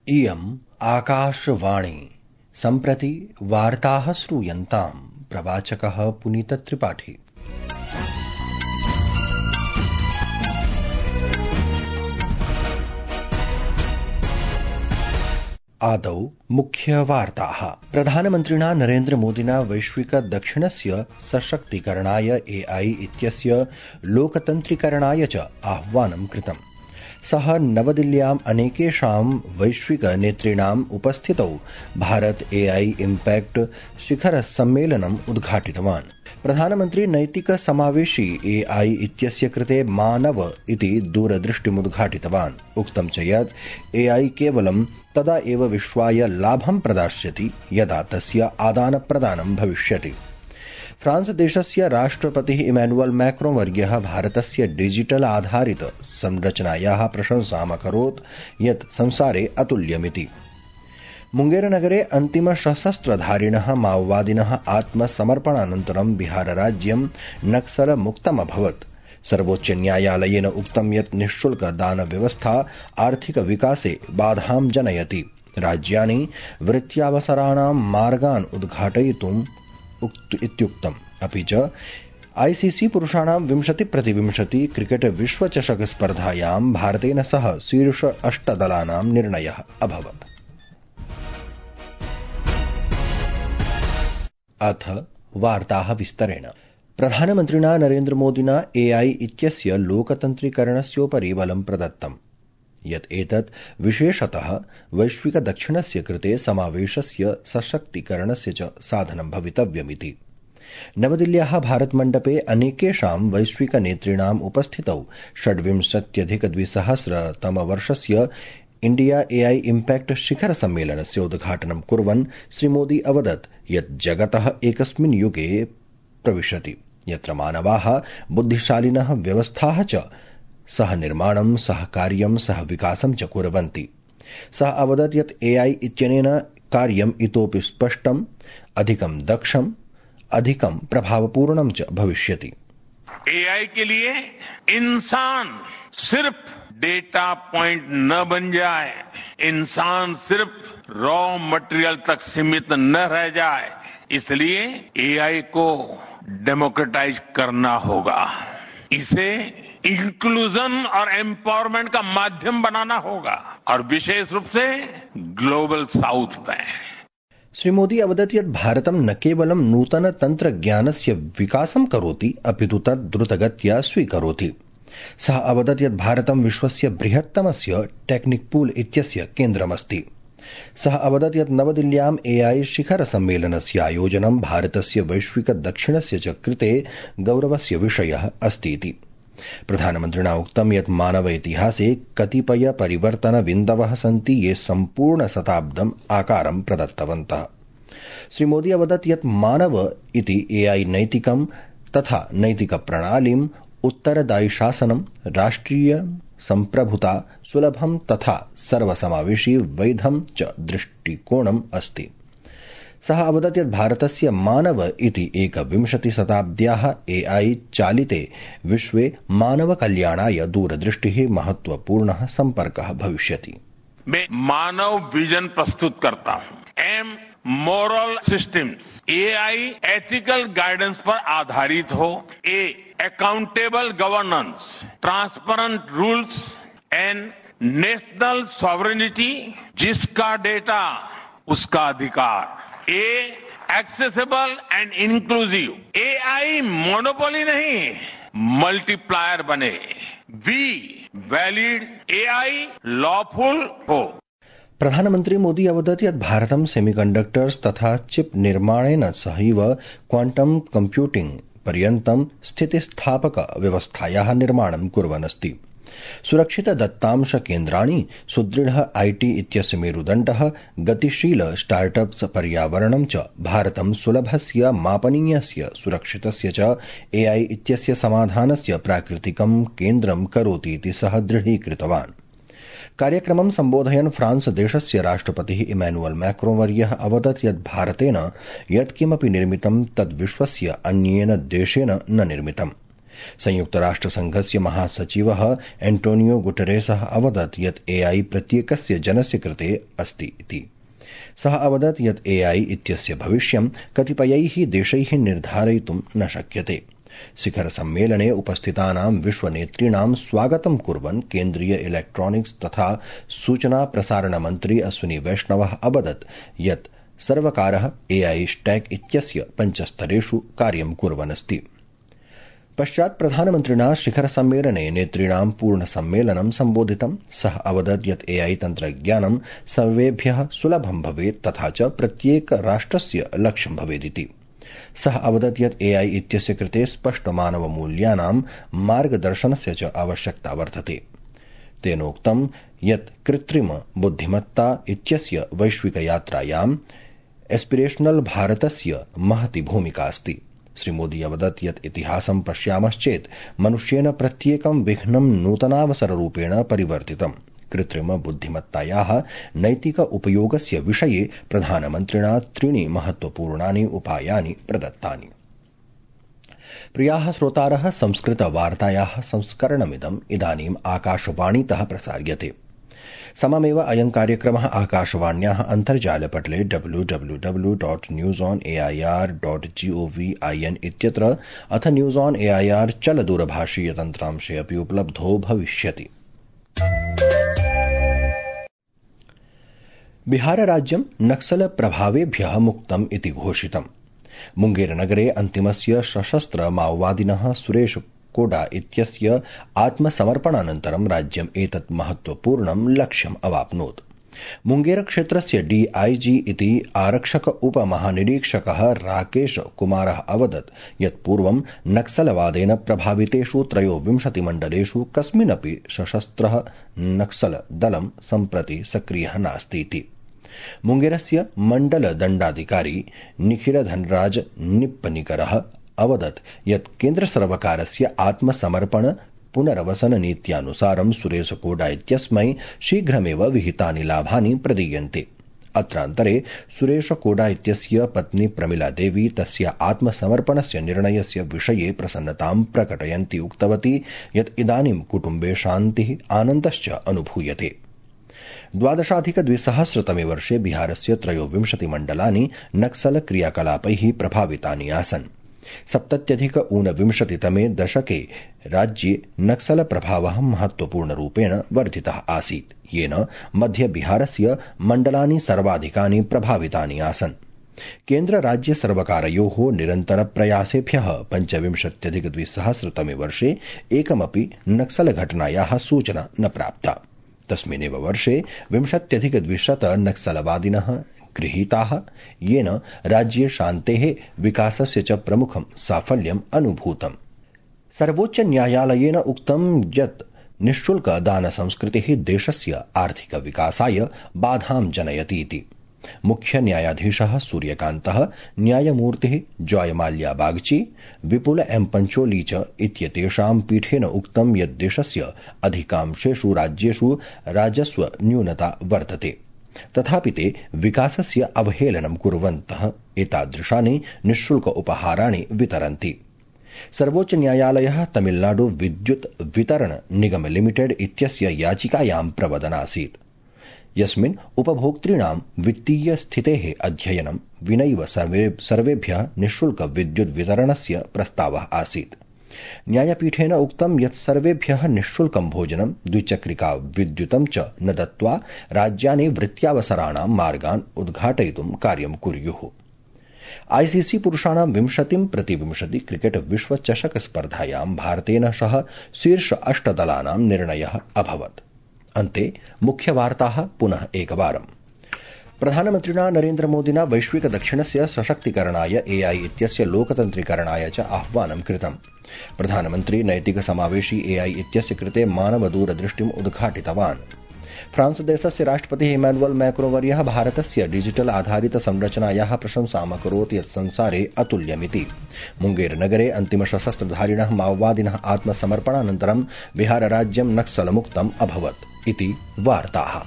इयम् आकाशवाणी। सम्प्रति वार्ताः श्रूयन्ताम्। प्रवाचकः पुनीतत्रिपाठी। आदौ मुख्यवार्ताः। प्रधानमन्त्रिणा नरेन्द्रमोदिना वैश्विक दक्षिणस्य सशक्तीकरणाय AI इत्यस्य लोकतन्त्रीकरणाय च आह्वानं कृतम्। सः नवदिल्ल्याम् अनेकेषां वैश्विक नेतॄणाम् उपस्थितौ भारत AI इम्पैक्ट शिखर सम्मेलनम् उद्घाटितवान्। प्रधानमन्त्री नैतिक समावेशी AI इत्यस्य कृते मानव इति दूरदृष्टिमुद्घाटितवान्। उक्तं च यत् AI केवलं तदा एव विश्वाय लाभं प्रदास्यति यदा तस्य आदानप्रदानं भविष्यति। फ्रांस देशस्य राष्ट्रपतिः इमैनुअल मैक्रों वर्यः भारतस्य डिजिटल आधारित संरचनायाः प्रशंसाम् अकरोत् यत् संसारे अतुल्यमिति। मुंगेरनगरे अन्तिम सशस्त्रधारिणः माओवादिनः आत्मसमर्पणानन्तरं बिहारराज्यं नक्सलमुक्तम् अभवत्। सर्वोच्चन्यायालयेन उक्तं यत् निःशुल्क दानव्यवस्था आर्थिक विकासे बाधां जनयति। राज्यानि वृत्त्यावसराणां मार्गान् उद्घाटयितुम् इत्युक्तम्। अपि च ICC पुरुषाणां 20x20 क्रिकेट विश्वचषक स्पर्धायां भारतेन सह शीर्ष 8 दलानां निर्णयः अभवत्। अथ वार्ताः विस्तरेण। प्रधानमन्त्रिणा नरेन्द्रमोदिना AI इत्यस्य लोकतन्त्रीकरणस्योपरि बलं प्रदत्तम् यत् एतत् विशेषतः वैश्विक दक्षिणस्य कृते समावेशस्य सशक्तीकरणस्य च साधनं भवितव्यमिति। नवदिल्ल्याः भारतमण्डपे अनेकेषां वैश्विक नेतॄणाम् उपस्थितौ 26-2000 इंडिया AI इम्पैक्ट शिखर सम्मेलनस्य उद्घाटनं कुर्वन् श्रीमोदी अवदत् यत् जगतः एकस्मिन् युगे प्रविशति यत्र मानवाः बुद्धिशालिनः व्यवस्थाः च सह निर्माणं सह कार्यं सह विकासं च कुर्वन्ति। सः अवदत् यत् AI इत्यनेन कार्यम् इतोपि स्पष्टम्, अधिकं दक्षम्, अधिकं प्रभावपूर्णं च भविष्यति। AI के लिए इंसान सिर्फ डेटा पॉइंट न बन जाए, इंसान सिर्फ रॉ मटेरियल तक सीमित न रह जाए, इसलिए AI को डेमोक्रेटाइज करना होगा। इसे इंक्लूजन और एम्पावरमेंट का माध्यम बनाना होगा और विशेष रूप से ग्लोबल साउथ में। श्री मोदी अवदत् यत् भारतं न केवलं नूतन तन्त्रज्ञानस्य विकासं करोति अपितु तत् द्रुतगत्या स्वीकरोति। सः अवदत् यत् भारतं विश्वस्य बृहत्तमस्य टेक्निक पूल इत्यस्य केन्द्रमस्ति। सः अवदत् यत् नवदिल्ल्याम् AI शिखर सम्मेलनस्य आयोजनं भारतस्य वैश्विक दक्षिणस्य च कृते गौरवस्य विषयः अस्तीति। प्रधानमन्त्रिणा उक्तं यत् मानव इतिहासे कतिपय परिवर्तन बिन्दवः सन्ति ये सम्पूर्ण शताब्दम् आकारं प्रदत्तवन्तः। श्री मोदी अवदत् यत् मानव इति AI नैतिकं तथा नैतिक प्रणालीम् उत्तरदायि शासनं राष्ट्रिय सम्प्रभुता सुलभं तथा सर्वसमावेशी वैधं च दृष्टिकोणम् अस्ति। सः अवदत् यत् भारतस्य मानव इति 21 शताब्द्याः AI चालिते विश्वे मानव कल्याणाय दूरदृष्टिः महत्वपूर्णः संपर्कः भविष्यति। मैं मानव विजन प्रस्तुत करता हूं। M moral systems AI ethical guidance पर आधारित हो। Accountable governance, transparent rules and national sovereignty, जिसका डेटा उसका अधिकार। Accessible and inclusive. AI monopoly नहीं, मल्टीप्लायर बने। वैलिड AI लॉफुल हो। प्रधानमन्त्री मोदी अवदत् यत् भारतं सेमीकण्डक्टर्स तथा चिप निर्माणेन सहैव क्वांटम कम्प्यूटिंग पर्यन्तं स्थितिस्थापक व्यवस्थायाः निर्माणं कुर्वन् अस्ति। सुरक्षित दत्तांश केन्द्राणि, सुदृढ IT इत्यस्य मेरुदण्डः, गतिशील स्टार्टअप्स पर्यावरणं च भारतं सुलभस्य मापनीयस्य सुरक्षितस्य च AI इत्यस्य समाधानस्य प्राकृतिकं केन्द्रं करोति इति सः दृढीकृतवान्। कार्यक्रमं सम्बोधयन् फ्रांस देशस्य राष्ट्रपतिः इमैनुअल मैक्रों वर्यः अवदत् यत् भारतेन यत्किमपि निर्मितं तद् विश्वस्य अन्येन देशेन न निर्मितम्। संयुक्तराष्ट्रसंघस्य महासचिवः एंटोनियो गुटेरेसः अवदत् यत् एआई प्रत्येकस्य जनस्य कृते अस्ति इति। सः अवदत् यत् एआई इत्यस्य भविष्यं कतिपयैः देशैः निर्धारयितुं न शक्यते। शिखर सम्मेलने उपस्थितानां विश्वनेतॄणां स्वागतं कुर्वन् केन्द्रीय इलेक्ट्रॉनिक्स तथा सूचना प्रसारण मन्त्री अश्विनी वैष्णवः अवदत् यत् सर्वकारः एआई स्टैक इत्यस्य 5 स्तरेषु कार्यं कुर्वन् अस्ति। पश्चात् प्रधानमन्त्रिणा शिखर सम्मेलने नेतॄणां पूर्ण सम्मेलनं सम्बोधितं। सः अवदत् यत् एआई तन्त्रज्ञानं सर्वेभ्यः सुलभं भवेत् तथा च प्रत्येक राष्ट्रस्य लक्ष्यं भवेदिति। सः अवदत् यत् एआई इत्यस्य कृते स्पष्ट मानवमूल्यानां मार्गदर्शनस्य च आवश्यकता वर्तते। तेनोक्तं यत् कृत्रिम बुद्धिमत्ता इत्यस्य वैश्विकयात्रायाम् एस्पिरेशनल भारतस्य महती भूमिका अस्ति। श्रीमोदी अवदत् यत् इतिहासं पश्यामश्चेत् मनुष्येण प्रत्येकं विघ्नं नूतनावसररूपेण परिवर्तितम्। कृत्रिम बुद्धिमत्तायाः नैतिक उपयोगस्य विषये प्रधानमन्त्रिणा 3 महत्वपूर्णानि उपायानि प्रदत्तानि। प्रियाः श्रोतारः, संस्कृतवार्तायाः संस्करणमिदम् इदानीम् आकाशवाणीतः प्रसार्यते। सममेव अयं कार्यक्रमः आकाशवाण्याः अन्तर्जालपटले www.newsonair.gov.in इत्यत्र अथ न्यूज़ ऑन एआईआर चलदूरभाषीयतन्त्रांशे अपि उपलब्धो भविष्यति। बिहारराज्यं नक्सल प्रभावेभ्यः मुक्तम् इति घोषितम्। मुंगेरनगरे अन्तिमस्य सशस्त्र माओवादिनः सुरेश कोडा इत्यस्य आत्मसमर्पणानन्तरं राज्यम् एतत् महत्वपूर्णं लक्ष्यम् अवाप्नोत्। मुंगेर क्षेत्रस्य डीआईजी इति आरक्षक उपमहानिरीक्षकः राकेश कुमारः अवदत् यत् पूर्वं नक्सलवादेन प्रभावितेषु 23 मण्डलेषु कस्मिन्नपि सशस्त्रः नक्सल दलं सम्प्रति सक्रियः नास्ति इति। मुंगेरस्य मण्डल दण्डाधिकारी निखिल धनराज निप्पनिकरः अवदत् यत् केन्द्रसर्वकारस्य आत्मसमर्पण पुनरवसन नीत्यानुसारं सुरेश कोडा इत्यस्मै शीघ्रमेव विहितानि लाभानि प्रदीयन्ते। अत्रान्तरे सुरेश कोडा इत्यस्य पत्नी प्रमिला देवी तस्य आत्मसमर्पणस्य निर्णयस्य विषये प्रसन्नतां प्रकटयन्ती उक्तवती यत् इदानीं कुटुम्बे शान्तिः आनन्दश्च अनुभूयते। 12,200 वर्षे बिहारस्य 23 मण्डलानि नक्सल क्रियाकलापैः प्रभावितानि आसन्। 70-ऊनविंशतितमे दशके राज्ये नक्सल प्रभावः महत्वपूर्णरूपेण वर्धितः आसीत्, येन मध्य बिहारस्य मण्डलानि सर्वाधिकानि प्रभावितानि आसन्। केन्द्र राज्य सर्वकारयोः निरन्तरप्रयासेभ्यः 25,200 वर्षे एकमपि नक्सल घटनायाः सूचना न प्राप्ता। तस्मिन्नेव वर्षे 20,200 नक्सलवादिनः गृहीताः, येन राज्ये शान्तेः विकासस्य च प्रमुखं साफल्यम् अनुभूतम्। सर्वोच्च न्यायालयेन उक्तं यत् निःशुल्क दानसंस्कृतिः देशस्य आर्थिक विकासाय बाधां जनयति इति। मुख्य न्यायाधीशः सूर्यकान्तः, न्यायमूर्तिः जॉयमाल्या बागची, विपुल एम पंचोली च इत्येतेषां पीठेन उक्तं यत् देशस्य अधिकांशेषु राज्येषु राजस्व न्यूनता वर्तते, तथापि ते विकासस्य अवहेलनं कुर्वन्तः एतादृशानि निःशुल्क उपहाराणि वितरन्ति। सर्वोच्च न्यायालयः तमिलनाडु विद्युत् वितरण निगम लिमिटेड इत्यस्य याचिकायां प्रवदनासीत्, यस्मिन् उपभोक्तॄणां वित्तीय स्थितेः अध्ययनं विनैव सर्वेभ्यः निःशुल्क विद्युत् वितरणस्य प्रस्तावः आसीत्। न्यायपीठेन उक्तं यत् सर्वेभ्यः निःशुल्कं भोजनं, द्विचक्रिका विद्युतं च न दत्त्वा राज्यानि वृत्त्यावसराणां मार्गान् उद्घाटयितुं कार्यं कुर्युः। आईसीसी पुरुषाणां 20-20 क्रिकेट विश्वचषक स्पर्धायां भारतेन सह शीर्ष 8 दलानां निर्णयः अभवत्। अन्ते मुख्यवार्ताः पुनः एकवारम्। प्रधानमन्त्रिणा नरेन्द्रमोदिना वैश्विक दक्षिणस्य सशक्तीकरणाय एआई इत्यस्य लोकतन्त्रीकरणाय च आह्वानं कृतम्। प्रधानमन्त्री नैतिक समावेशी एआई इत्यस्य कृते मानवदूरदृष्टिम् उद्घाटितवान्। फ्रांस देशस्य राष्ट्रपतिः इमैनुअल मैक्रो वर्यः भारतस्य डिजिटल आधारित संरचनायाः प्रशंसाम् अकरोत् यत् संसारे अतुल्यमिति। मुंगेर नगरे अन्तिम सशस्त्रधारिणः माओवादिनः आत्मसमर्पणानन्तरं बिहारराज्यं नक्सलमुक्तम् अभवत् इति वार्ताः।